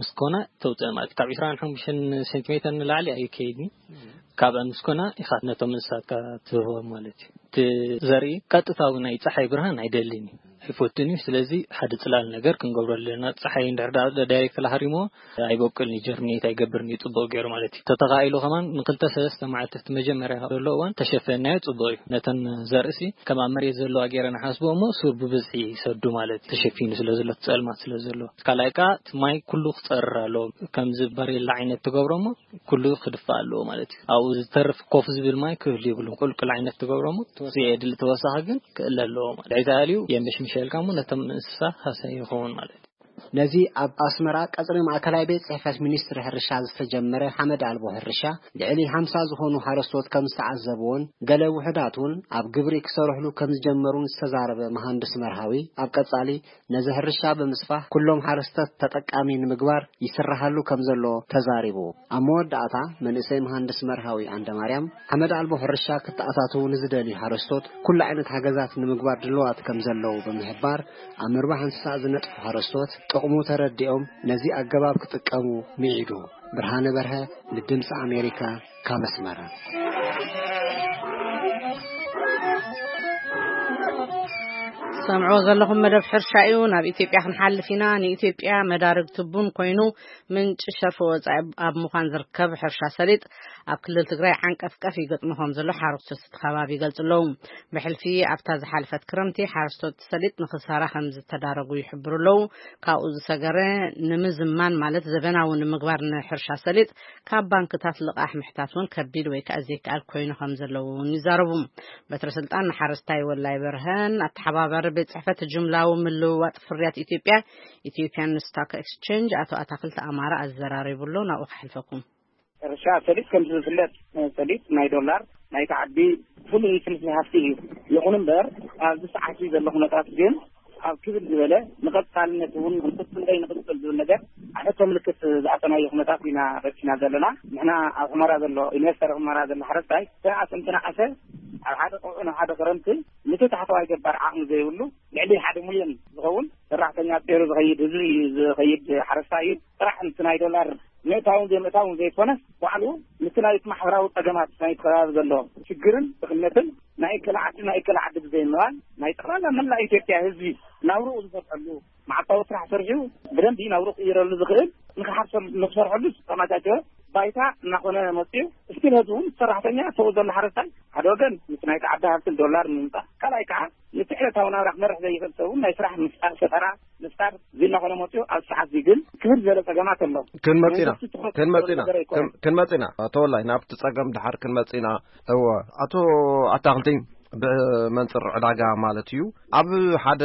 ምስ ኮና ተውፅእ ማለት እዩ። ካብ ዒስራን ሓሙሽተን ሴንቲሜተር ንላዕሊ ኣይከይድን። ካብኣ ምስ ኮና ኢኻ ነቶም እንስሳትካ ትህቦም ማለት እዩ። እቲ ዘርኢ ቀጥታዊ ናይ ፀሓይ ብርሃን ኣይደልን እዩ፣ ኣይፈቱን እዩ። ስለዚ ሓደ ፅላል ነገር ክንገብሮ ኣለና። ፀሓይ እንድሕር ዳ-፣ ዳይሬክት ላሃሪሞ ኣይበቁልን እዩ፣ ጀርሚኔት ኣይገብርን እዩ ፅቡቅ ገይሩ ማለት እዩ። ተተኻኢሉ ከማን ንክልተ ሰለስተ መዓልቲ እቲ መጀመርያ ዘሎ እዋን ተሸፈናዮ ፅቡቅ እዩ። ነተን ዘርእሲ ከም ኣብ መሬት ዘለዋ ገይረ ንሓስቦ እሞ ሱር ብብዝሒ ይሰዱ ማለት እዩ። ተሸፊኑ ስለ ዘሎ፣ እቲ ጸልማት ስለ ዘሎ። ካልኣይ ከኣ እቲ ማይ ኩሉ ክጸርር ኣለዎ። ከምዚ ባሬላ ዓይነት ትገብሮ እሞ ኩሉ ክድፋእ ኣለዎ ማለት እዩ። ኣብኡ ዝተርፍ ኮፍ ዝብል ማይ ክህሉ የብሉን። ቁልቁል ዓይነት ትገብሮ እሞ ዘየድሊ ተወሳኺ ግን ክእለ ኣለዎ ማለት እዩ። ተኣልዩ የምሽምሸልካ እሞ ነቶም እንስሳ ሃሰይ ይኸውን ማለት እዩ። ነዚ ኣብ ኣስመራ ቀጽሪ ማእከላይ ቤት ጽሕፈት ሚኒስትሪ ሕርሻ ዝተጀመረ ሓመድ ኣልቦ ሕርሻ ልዕሊ ሓምሳ ዝኾኑ ሓረስቶት ከም ዝተዓዘብዎን ገለ ውሑዳት እውን ኣብ ግብሪ ክሰርሕሉ ከም ዝጀመሩን ዝተዛረበ መሃንድስ መርሃዊ፣ ኣብ ቀጻሊ ነዚ ሕርሻ ብምስፋሕ ኩሎም ሓረስቶት ተጠቃሚ ንምግባር ይስራሓሉ ከም ዘሎ ተዛሪቡ። ኣብ መወዳእታ መንእሰይ መሃንድስ መርሃዊ ዓንደማርያም ሓመድ ኣልቦ ሕርሻ ክተኣታተዉ ንዝደልዩ ሓረስቶት ኩሉ ዓይነት ሓገዛት ንምግባር ድልዋት ከም ዘለዉ ብምሕባር፣ ኣብ ምርባሕ እንስሳ ዝነጥፉ ሓረስቶት ጥቕሙ ተረዲኦም ነዚ ኣገባብ ክጥቀሙ ምዒዱ። ብርሃነ በርሀ ንድምፂ ኣሜሪካ ካብ ኣስመራ። ሰምዕዎ ዘለኹም መደብ ሕርሻ እዩ። ናብ ኢትዮጵያ ክንሓልፍ ኢና። ንኢትዮጵያ መዳርግቲ ቡን ኮይኑ ምንጪ ሸርፊ ወጻኢ ኣብ ምዃን ዝርከብ ሕርሻ ሰሊጥ ኣብ ክልል ትግራይ ዓንቀፍቀፍ ይገጥሞ ከም ዘሎ ሓረስቶት እቲ ከባቢ ይገልጹ ኣለዉ። ብሕልፊ ኣብታ ዝሓለፈት ክረምቲ ሓረስቶት ሰሊጥ ንኽሳራ ከም ዝተዳረጉ ይሕብሩ ኣለዉ። ካብኡ ዝሰገረ ንምዝማን ማለት ዘበናዊ ንምግባር ንሕርሻ ሰሊጥ ካብ ባንክታት ልቓሕ ምሕታት እውን ከቢድ ወይ ከኣ ዘይከኣል ኮይኑ ከም ዘለዉ እውን ይዛረቡ። በትረ ስልጣን ንሓረስታይ ወላይ በርሀን ኣተሓባባሪ ቤት ጽሕፈት ጅምላዊ ምልውዋጥ ፍርያት ኢትዮጵያ፣ ኢትዮጵያን ስታክ ኤክስቼንጅ፣ ኣቶ ኣታክልቲ ኣማረ ኣዘራሪቡ ኣሎ። ናብኡ ከሕልፈኩም። ሕርሻ ሰሊጥ ከምቲ ዝፍለጥ፣ ሰሊጥ ናይ ዶላር ናይ ተዓቢ ፍሉይ ፍልፍል ሃፍቲ እዩ። ይኹን እምበር ኣብዚ ሰዓት ዘሎ ኩነታት ግን ኣብ ክብል ዝበለ ንቐጻልነት እውን ንቕጽል ወይ ንቕጽል ዝብል ነገር ኣሕቶ ምልክት ዝኣተናዮ ኩነታት ኢና ረኪና ዘለና። ንሕና ኣብ ሑመራ ዘሎ፣ ኢንቨስተር ሑመራ ዘሎ ሓረስታይ ተነኣሰ እንተነኣሰ ኣብ ሓደ ቀውዒ ናብ ሓደ ክረምቲ ነቲ ታሕተዋይ ገባር ዓቕሚ ዘይብሉ ልዕሊ ሓደ ሚልዮን ዝኸውን ሰራሕተኛ ጸይሩ ዝኸይድ ህዝቢ እዩ ዝኸይድ ሓረስታይ እዩ። ጥራሕ እቲ ናይ ዶላር ምእታውን ዘይምእታውን ዘይኮነስ ባዕሉ ነቲ ናይቲ ማሕበራዊ ጸገማት ናይቲ ከባቢ ዘሎ ሽግርን ድኽነትን ናይ እከለ ዓዲ፣ ናይ እከለ ዓዲ ብዘይምባል፣ ናይ ጠቕላላ መላእ ኢትዮጵያ ህዝቢ ናብርኡ ዝሰርሐሉ፣ መዓልታዊ ስራሕ ሰሪሑ ብደንቢ ናብርኡ ክቕይረሉ ዝኽእል፣ ንክሓርሰሉ፣ ንክሰርሐሉ ዝተመቻቸወ ባይታ እናኾነ መፅዩ። እስቲል ህዝቢ እውን፣ ሰራሕተኛ፣ ሰብኡ ዘሎ ሓረስታይ፣ ሓደ ወገን ምስ ናይቲ ዓዲ ሃብትን ዶላር ንምምፃእ፣ ካልኣይ ከዓ ነቲ ዕለታዊ ናብራ ክመርሕ ዘይኽእል ሰብ እውን ናይ ስራሕ ምፍጣር፣ ፈጠራ ምፍጣር፣ እዚ እናኾነ መፅዩ። ኣብ ሰዓት እዚ ግን ክብል ዝበለ ፀገማት ኣሎ። ክንመጽና፣ መንግስቲ ትኹረት ክንመጽና፣ ዝገበረ ኣይኮነን። ክን-፣ ክንመጽና። ኣቶ ወላይ፣ ናብቲ ጸገም ድሓር ክንመጽና። እወ፣ ኣቶ ኣታኽልቲ፣ ብመንጽር ዕዳጋ ማለት እዩ፣ ኣብ ሓደ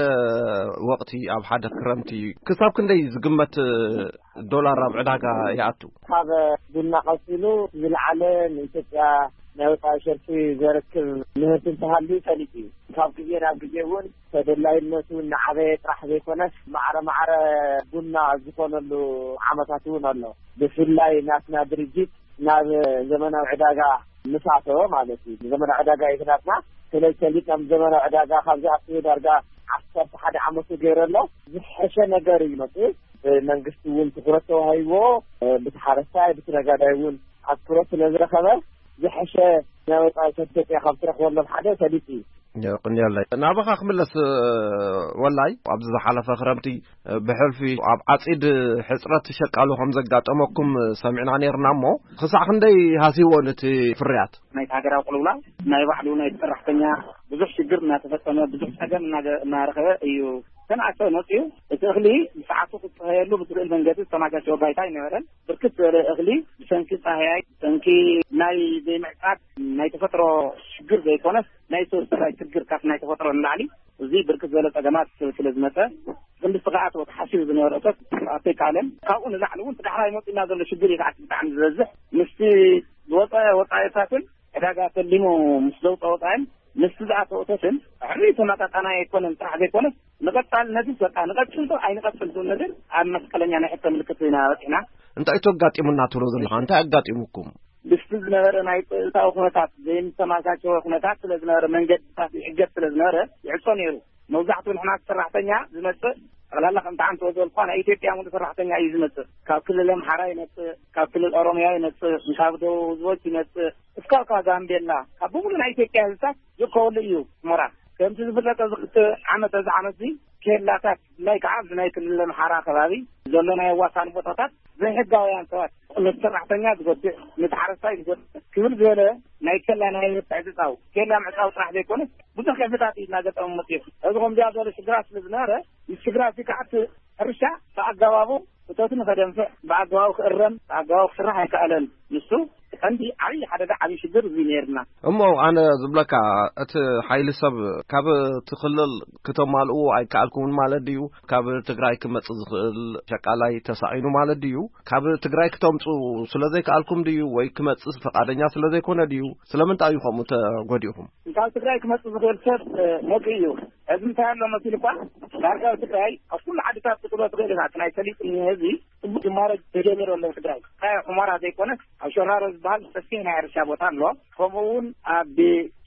ወቕቲ፣ ኣብ ሓደ ክረምቲ፣ ክሳብ ክንደይ ዝግመት ዶላር ኣብ ዕዳጋ ይኣቱ? ካብ ቡና ቀጺሉ ዝለዓለ ንኢትዮጵያ ናይ ወጻኢ ሸርፊ ዘረክብ ምህርቲ እንተሃልዩ ፈሊጥ እዩ። ካብ ግዜ ናብ ግዜ እውን ተደላይነቱ እናዓበየ ጥራሕ ዘይኮነስ፣ ማዕረ ማዕረ ቡና ዝኾነሉ ዓመታት እውን ኣሎ። ብፍላይ ናትና ድርጅት ናብ ዘመናዊ ዕዳጋ ምስ ኣተወ ማለት እዩ። ዘመናዊ ዕዳጋ እዩ ናትና። ስለዚ ሰሊጥ ናብ ዘመናዊ ዕዳጋ ካብ ዝኣትው ዳርጋ ዓሰርተ ሓደ ዓመቱ ገይሩ ኣሎ። ዝሐሸ ነገር እዩ መፅኡ። መንግስቲ እውን ትኹረት ተዋሂብዎ፣ ብቲ ሓረስታይ፣ ብቲ ነጋዳይ እውን ኣትኩረት ስለ ዝረኸበ፣ ዝሐሸ ናይ ወፃኢ ሰብ ኢትዮጵያ ካብ ትረኽበሎም ሓደ ሰሊጥ እዩ። የቕንየለይ። ናባኻ ክምለስ፣ ወላይ፣ ኣብዚ ዝሓለፈ ክረምቲ ብሕልፊ ኣብ ዓጺድ ሕጽረት ሸቃሉ ከም ዘጋጠመኩም ሰሚዕና ነይርና እሞ፣ ክሳዕ ክንደይ ሃሲዎ ነቲ ፍርያት? ናይቲ ሃገራዊ ቅልውላው ናይ ባዕሉ ናይ ሰራሕተኛ ብዙሕ ሽግር እናተፈጸመ፣ ብዙሕ ጸገም እናገ-፣ እናረኸበ እዩ ተንኣሰ መጽዩ። እቲ እኽሊ ብሰዓቱ ክጽሀየሉ ብዝኽእል መንገዲ ዝተማቻቸወ ባይታ ኣይነበረን። ብርክት ዝበለ እኽሊ ብሰንኪ ጻህያይ፣ ብሰንኪ ናይ ዘይምዕጻድ ናይ ተፈጥሮ ሽግር ዘይኮነስ፣ ናይ ሰብ ሰራይ ሽግር ካብ ናይ ተፈጥሮ ንላዕሊ፣ እዚ ብርክት ዝበለ ጸገማት ስለ ዝመጸ፣ ክንዲ ስግኣት ወተሓሲቡ ዝነበረ እቶት ኣይከኣለን። ካብኡ ንላዕሊ እውን እቲ ዳሕራይ መጺእና ዘሎ ሽግር እዩ ከዓት ብጣዕሚ ዝበዝሕ። ምስቲ ዝወጸ ወጻኢታትን ዕዳጋ ተሊሙ ምስ ዘውፀ ወጻኢን ምስቲ ዝኣተወ እቶትን ሕሪ ተመጣጣናይ ኣይኮነን ጥራሕ ዘይኮነስ፣ ንቐጻልነትስ በቃ ንቐጽል ዶ ኣይንቐጽል ዝብል ነገር ኣብ መስቀለኛ ናይ ሕቶ ምልክት ኢና በጺሕና። እንታይ እዩ ኣጋጢሙና ትብሎ ዘለኻ? እንታይ ኣጋጢሙኩም? ምስቲ ዝነበረ ናይ ጸጥታዊ ኩነታት ዘይምተመቻቸወ ኩነታት ስለ ዝነበረ፣ መንገድታት ይሕገዝ ስለ ዝነበረ፣ ይዕጾ ነይሩ። መብዛሕትኡ ንሕና ሰራሕተኛ ዝመጽእ፣ ጠቕላላ ከምቲ ዓንተ ዝበልኳ ናይ ኢትዮጵያ ሙሉእ ሰራሕተኛ እዩ ዝመጽእ። ካብ ክልል ኣምሓራ ይመጽእ፣ ካብ ክልል ኦሮሚያ ይመጽእ፣ ካብ ደቡብ ህዝቦች ይመጽእ፣ እስካብ ካብ ጋምቤላ፣ ካብ ብምሉእ ናይ ኢትዮጵያ ህዝብታት ዝርከበሉ እዩ ሑመራ። ከምቲ ዝፍለጥ፣ ኣብዚ ክልተ ዓመት፣ እዚ ዓመት እዚ ኬላታት፣ ብፍላይ ከዓ ኣብዚ ናይ ክልል ኣምሓራ ከባቢ ዘሎ ናይ ኣዋሳኒ ቦታታት፣ ዘይሕጋውያን ሰባት ነቲ ሰራሕተኛ ዝጎድእ፣ ነቲ ሓረስታይ ዝጎድእ፣ ክብል ዝበለ ናይ ኬላ ናይ ምትዕጽጻው፣ ኬላ ምዕጻው ጥራሕ ዘይኮነስ፣ ብዙሕ ክፍታት እዩ እናገጠመ መፅኡ። እዚ ከምዚኣ ዝበለ ሽግራት ስለ ዝነበረ፣ ምስ ሽግራት እዚ ከዓ እቲ ሕርሻ ብኣገባቡ እቶት ንኸደንፍዕ፣ ብኣገባቡ ክእረም፣ ብኣገባቡ ክስራሕ ኣይከኣለን። ንሱ ቀንዲ ዓብዪ ሓደጋ፣ ዓብዪ ሽግር እዚ ነይርና። እሞ ኣነ ዝብለካ፣ እቲ ሓይሊ ሰብ ካብ እቲ ክልል ክተማልእዎ ኣይከኣልኩምን ማለት ድዩ? ካብ ትግራይ ክመጽእ ዝኽእል ሸቃላይ ተሳኢኑ ማለት ድዩ? ካብ ትግራይ ክተምጽኡ ስለ ዘይከኣልኩም ድዩ? ወይ ክመጽእ ፈቃደኛ ስለ ዘይኮነ ድዩ? ስለምንታይ እዩ ከምኡ ተጎዲእኹም? ካብ ትግራይ ክመጽእ ዝኽእል ሰብ፣ እ፣ መጺኡ እዩ። ሕዚ እንታይ ኣሎ መሲሉ እኳ፣ ዳርጋ ኣብ ትግራይ ኣብ ኩሉ ዓድታት ክትብሎ ትኽእል ኢኻ። እቲ ናይ ሰሊጥ ንህዝቢ ጽቡቅ ጅማሮ ተጀሚሩ ኣሎ ኣብ ትግራይ። እንታይ ሑመራ ዘይኮነስ ኣብ ሸራሮ ዝበሃል ሰፊሕ ናይ ሕርሻ ቦታ ኣሎ። ከምኡ እውን ኣብ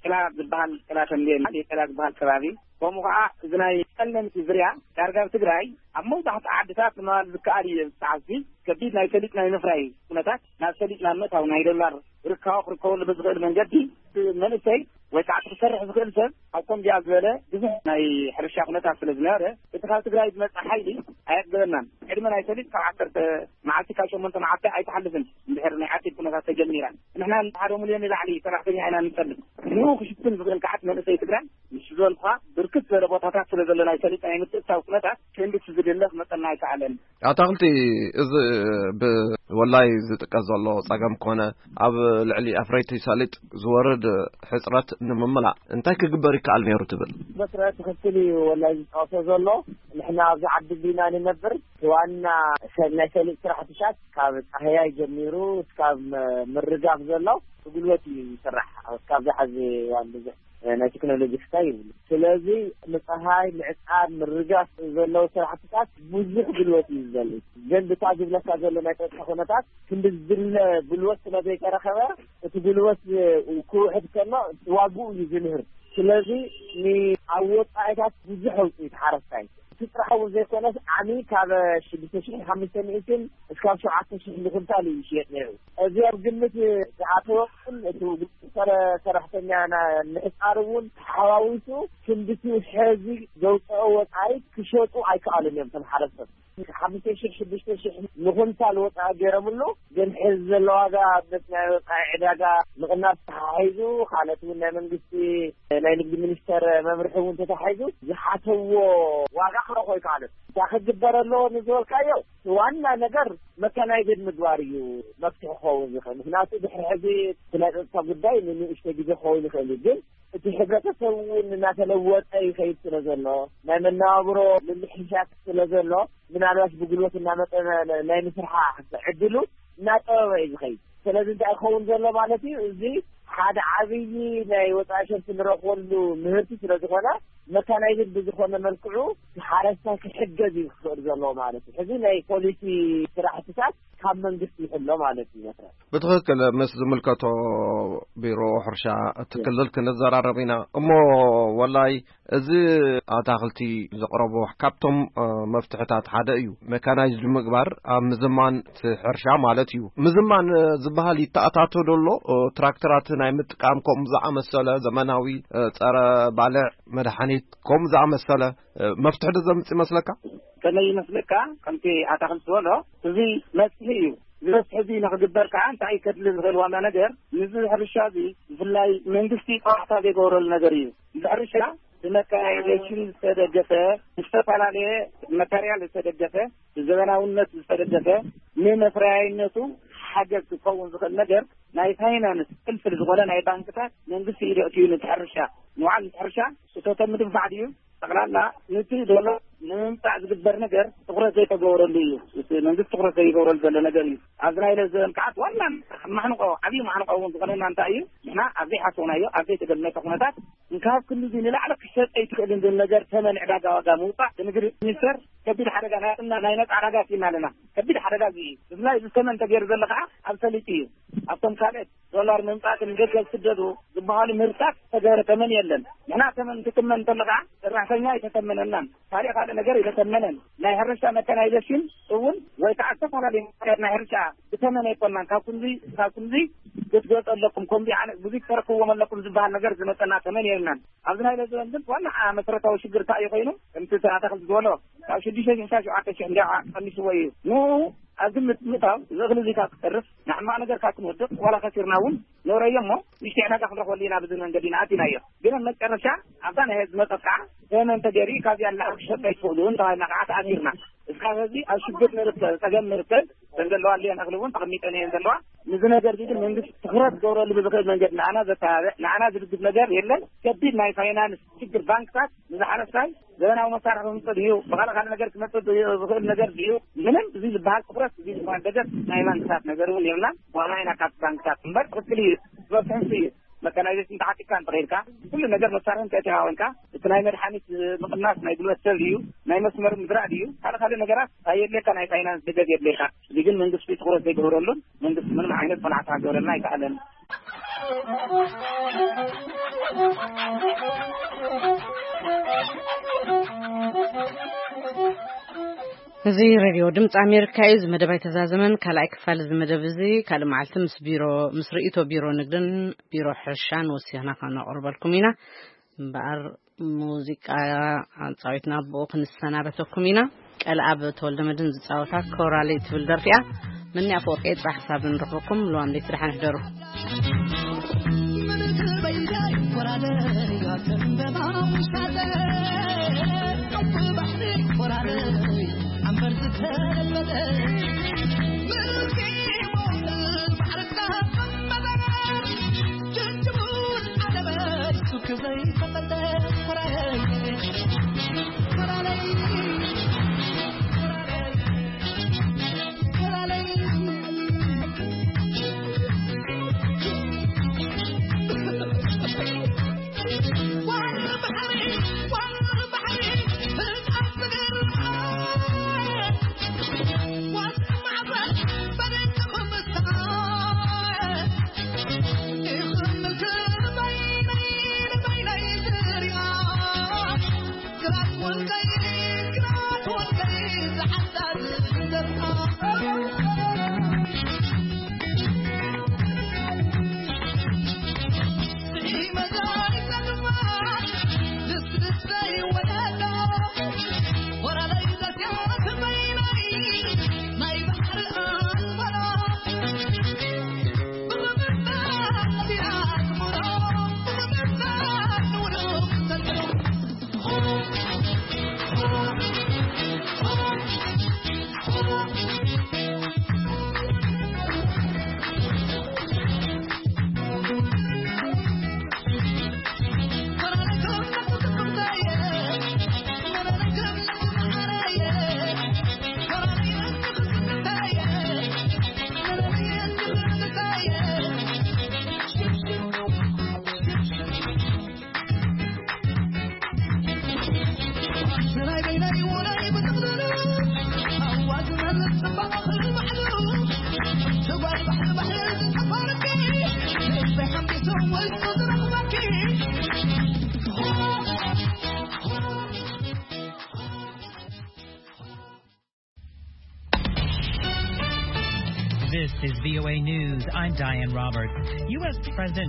ጭላ ዝበሃል፣ ጭላ ተምቤን፣ ጭላ ዝበሃል ከባቢ፣ ከምኡ ከዓ እዚ ናይ ጸለምቲ ዝርያ ዳርጋ ኣብ ትግራይ ኣብ መብዛሕትኡ ዓድታት ንምባል ዝከኣል እዩ። ብሰዓት እዚ ከቢድ ናይ ሰሊጥ ናይ ምፍራይ ኩነታት፣ ናብ ሰሊጥ ናብ ምእታው ናይ ዶላር ርካቦ ክርከበሉ ብዝኽእል መንገዲ፣ መንእሰይ ወይ ከዓ ክሰርሕ ዝኽእል ሰብ ኣብ ከምዚኣ ዝበለ ብዙሕ ናይ ሕርሻ ኩነታት ስለ ዝነበረ፣ እቲ ካብ ትግራይ ዝመጽእ ሓይሊ ኣየጥገበናን። ዕድመ ናይ ሰሊጥ ካብ ዓሰርተ መዓልቲ፣ ካብ ሸሞንተ መዓልቲ ኣይትሓልፍን፣ እንድሕር ናይ ዓጺድ ኩነታት ተጀሚራ። ንሕና ሓደ ሚልዮን ንላዕሊ ሰራሕተኛ ኢና ንጸልብ። ንኡ ክሽፍን ዝኽእል ከዓት መንእሰይ ትግራይ፣ ምስ ዝበልኩኻ፣ ብርክት ዝበለ ቦታታት ስለ ዘሎ ናይ ሰሊጥ ናይ ምትእትታው ኩነታት፣ ክንድቲ ዝድለ ክመጸና ኣይከኣለን። ኣታኽልቲ፣ እዚ ብወላይ ዝጥቀስ ዘሎ ጸገም ኮነ፣ ኣብ ልዕሊ ኣፍረይቲ ሰሊጥ ዝወርድ ሕጽረት ንምምላእ እንታይ ክግበር ይከኣል ነይሩ ትብል? መስርዕ ትኽክል እዩ ወላይ ዝጠቕሶ ዘሎ። ንሕና ኣብዚ ዓዲ ዲና ንነብር። ዋና ሰ-፣ ናይ ሰሊጥ ስራሕትታት ካብ ጻህያይ ጀሚሩ እስካብ ም-፣ ምርጋፍ ዘሎ ብጉልበት እዩ ዝስራሕ። እስካብ ዝሓዚ እዋን ብዙሕ ናይ ቴክኖሎጂ ክሳይ ይብሉ። ስለዚ ንፀሃይ ምዕፃድ፣ ምርጋፍ ዘለዉ ስራሕትታት ብዙሕ ጉልበት እዩ ዝደሊ። ግን ብታ ዝብለካ ዘሎ ናይ ፀጥታ ኩነታት ክንዲ ዝድለ ጉልበት ስለ ዘይተረኸበ፣ እቲ ጉልበት ክውሕድ ከሎ ዋግኡ እዩ ዝንህር። ስለዚ ንኣብ ወፃኢታት ብዙሕ ኣውፅኡ እቲ ሓረስታይ። እቲ ጥራሕ እውን ዘይኮነስ ዓሚ ካብ ሽዱሽተ ሽሕን ሓሙሽተ ሚእትን እስካብ ሸውዓተ ሽሕ ንኩንታል እዩ ይሽየጥ ነይሩ። እዚ ኣብ ግምት ዝኣተወ እቲ ሰረ-፣ ሰራሕተኛ ና-፣ ምሕጻር እውን ተሓዋዊሱ ክንድቲ ሕዚ ዘውፅኦ ወፃኢ ክሸጡ ኣይከኣሉን እዮም። እቶም ሓረስቶት ሓሙሽተ ሽሕ ሽዱሽተ ሽሕ ንኹንታል ወፃኢ ገይሮምሉ፣ ግን ሕዚ ዘሎ ዋጋ ኣብ ናይ ወፃኢ ዕዳጋ ምቕናስ ተሓሒዙ፣ ካልኦት እውን ናይ መንግስቲ ናይ ንግዲ ሚኒስተር መምርሒ እውን ተታሒዙ ዝሓተዎ ዋጋ ክረኽቦ ኣይከኣሉን። እንታይ ክግበር ኣለዎ ንዝበልካዮ ዋና ነገር መካናይዝድ ምግባር እዩ መፍትሒ ክኸውን ዝኽእል። ምክንያቱ ድሕሪ ሕዚ እቲ ናይ ጸጥታ ጉዳይ ንንእሽቶ ግዜ ክኸውን ይኽእል እዩ፣ ግን እቲ ሕብረተሰብ እውን እናተለወጠ ይኸይድ ስለ ዘሎ፣ ናይ መነባብሮ ምምሕሻት ስለ ዘሎ፣ ምናልባት ብጉልበት እናመጠነ ናይ ምስርሓ ዕድሉ እናጠበበ እዩ ዝኸይድ። ስለዚ እንታይ ክኸውን ዘሎ ማለት እዩ? እዚ ሓደ ዓብዪ ናይ ወፃኢ ሸርፊ ንረኽበሉ ምህርቲ ስለ ዝኾነ፣ መካናይዝድ ብዝኾነ መልክዑ ሓረስታይ ክሕገዝ እዩ ክኽእል ዘለዎ ማለት እዩ። ሕዚ ናይ ፖሊሲ ስራሕትታት ካብ መንግስቲ ይሕሎ ማለት እዩ። መስራት ብትኽክል ምስ ዝምልከቶ ቢሮ ሕርሻ እቲ ክልል ክንዘራረብ ኢና። እሞ ወላይ እዚ ኣታኽልቲ ዘቕረቦ ካብቶም፣ እ፣ መፍትሕታት ሓደ እዩ። መካናይዝድ ምግባር ኣብ ምዝማን እቲ ሕርሻ ማለት እዩ። ምዝማን፣ እ፣ ዝበሃል ይተኣታቶ ዶ ኣሎ? እ፣ ትራክተራት ናይ ምጥቃም ከምኡ ዝኣመሰለ ዘመናዊ፣ እ፣ ጸረ ባልዕ መድሓኒት ከምኡ ዝኣመሰለ፣ እ፣ መፍትሒ ዶ ዘምጽእ ይመስለካ? ከመይ ይመስለካ? ከምቲ ኣታኽልቲ ዝበሎ እዚ መፍትሒ እዩ። እዚ መፍትሒ እዚ ንክግበር ከዓ እንታይ እዩ ከድሊ ዝኽእል ዋና ነገር? ንዚ ሕርሻ እዚ ብፍላይ መንግስቲ ጸዋዕታ ዘይገበረሉ ነገር እዩ። እዚ ሕርሻ ብመካናይዜሽን ዝተደገፈ፣ ዝተፈላለየ ማተርያል ዝተደገፈ፣ ብዘበናውነት ዝተደገፈ፣ ንመፍረያይነቱ ሓገዝ ክኸውን ዝኽእል ነገር ናይ ፋይናንስ ፍልፍል ዝኾነ ናይ ባንክታት መንግስቲ ኢዱ ኣእትዩ ነቲ ሕርሻ፣ ንባዕሉ ነቲ ሕርሻ እቶቶም ምድንፋዕ ድዩ? ጠቕላላ ነቲ ዶላር ንምምፃእ ዝግበር ነገር ትኹረት ዘይተገበረሉ እዩ። እቲ መንግስቲ ትኹረት ዘይገብረሉ ዘሎ ነገር እዩ። ኣብዚ ናይ ለዘበን ከዓት ዋና ማሕንቆ፣ ዓብዪ ማሕንቆ እውን ዝኾነና እንታይ እዩ? ንሕና ኣብ ዘይሓሰብናዮ፣ ኣብ ዘይተገመተ ኩነታት እንካብ ክንዲ ንላዕሊ ክሸጥ ኣይትኽእልን ዝብል ነገር፣ ተመን ዕዳጋ ዋጋ ምውፃእ፣ ንግዲ ሚኒስተር ከቢድ ሓደጋ ናይ፣ ናይ ነፃ ዕዳጋ ኣስኢና ኣለና። ከቢድ ሓደጋ እዚ እዩ። ብፍላይ እዚ ተመን ተገይሩ ዘሎ ከዓ ኣብ ሰሊጥ እዩ። ኣብቶም ካልኦት ዶላር ምምፃእ ንደገ ዝስደዱ ዝበሃሉ ምህርትታት ዝተገበረ ተመን የለን። ንሕና ተመን ክትመን እንተሎ ከዓ ሰራሕተኛ ኣይተተመነናን፣ ካልእ ካልእ ነገር ኣይተተመነን። ናይ ሕርሻ መካናይዜሽን እውን ወይ ከዓ ዝተፈላለዩ ምክንያት ናይ ሕርሻ ብተመን ኣይኮናን። ካብ ክንዚ፣ ካብ ክንዚ ክትገፁ ኣለኩም፣ ከምዚ ዓይነት ብዙይ ትረክብዎም ኣለኩም ዝበሃል ነገር ዝመፀና ተመን የብልናን። ኣብዚ ናይ ለዘበን ግን ዋና መሰረታዊ ሽግር እንታይ እዩ ኮይኑ፣ ከምቲ ኣታኽልቲ ዝበሎ ካብ ሽዱሽተ ሽሕ ክሳብ ሸውዓተ ሽሕ እንዲያ ቀኒስዎ እዩ። ንኡ ኣብ ግምት ምእታው፣ እዚ እኽሊ እዚ ካብ ክተርፍ፣ ንሕማቕ ነገር ካብ ክንወድቕ፣ ዋላ ከሲርና እውን ንእረዮ እሞ፣ ንእሽተይ ዕዳጋ ክንረኽበሉ ኢና፣ ብዚ መንገዲ ኢና ኣቲናዮ። ግን ኣብ መጨረሻ፣ ኣብታ ናይ ህዝቢ መጠጥ ከዓ፣ ተመን ተገይሩ፣ ካብዚኣ ንላዕሊ ክሸጡ ኣይትኽእሉን ተባሂልና ከዓ ተኣሲርና። እስካብ ሕዚ ኣብ ሽግር ንርከብ፣ ጸገም ንርከብ፣ እተን ዘለዋ ኣሊየን እኽሊ እውን ተቐሚጠን እየን ዘለዋ። ንዚ ነገር እዚ ግን መንግስቲ ትኹረት ክገብረሉ ብዝኽእል መንገዲ ንዓና ዘተባብዕ፣ ንዓና ዝድግፍ ነገር የለን። ከቢድ ናይ ፋይናንስ ሽግር ባንክታት ንዝሓረስታይ ዘበናዊ መሳርሒ ክምፅእ ድዩ፣ ብኻልእ ካልእ ነገር ክመፅእ ድዩ፣ ዝኽእል ነገር ድዩ፣ ምንም እዚ ዝበሃል ትኹረት፣ እዚ ዝበሃል በጀት ናይ ባንክታት ነገር እውን የብልናን። ዋላ ኢና ካብቲ ባንክታት እምበር ትኽክል እዩ፣ ዝበፅሕንሱ እዩ። መካናይዜሽን ተዓጢቕካ እንተኸይድካ፣ ኩሉ ነገር መሳርሒ እንተእቲኻ ኮይንካ፣ እቲ ናይ መድሓኒት ምቕናስ ናይ ጉልበት ሰብ ድዩ፣ ናይ መስመር ምዝራእ ድዩ፣ ካልእ ካልእ ነገራት ኣየድልየካ፣ ናይ ፋይናንስ ደገፍ የድልየካ። እዚ ግን መንግስቲ ትኹረት ዘይገበረሉን መንግስቲ ምንም ዓይነት ቆላሕታ ክገብረልና ኣይከኣለን። እዚ ሬድዮ ድምፂ ኣሜሪካ እዩ። እዚ መደብ ኣይተዛዘመን። ካልኣይ ክፋል እዚ መደብ እዚ ካልእ መዓልቲ ምስ ቢሮ፣ ምስ ርእይቶ ቢሮ ንግድን ቢሮ ሕርሻን ወሲኽና ከነቕርበልኩም ኢና። እምበኣር ሙዚቃ ኣጻዊትና ብኡ ክንሰናበተኩም ኢና። ቀልኣብ ተወልደ መድን ዝጻወታ ኮራለይ ትብል ደርፊ እያ። ምንያ ኣፈወርቂ እየ፣ ጽባሕ ክሳብ ንረኽበኩም፣ ልዋም ለይቲ ደሓን ሕደሩ። V O A News, I'm Diane Roberts. U S President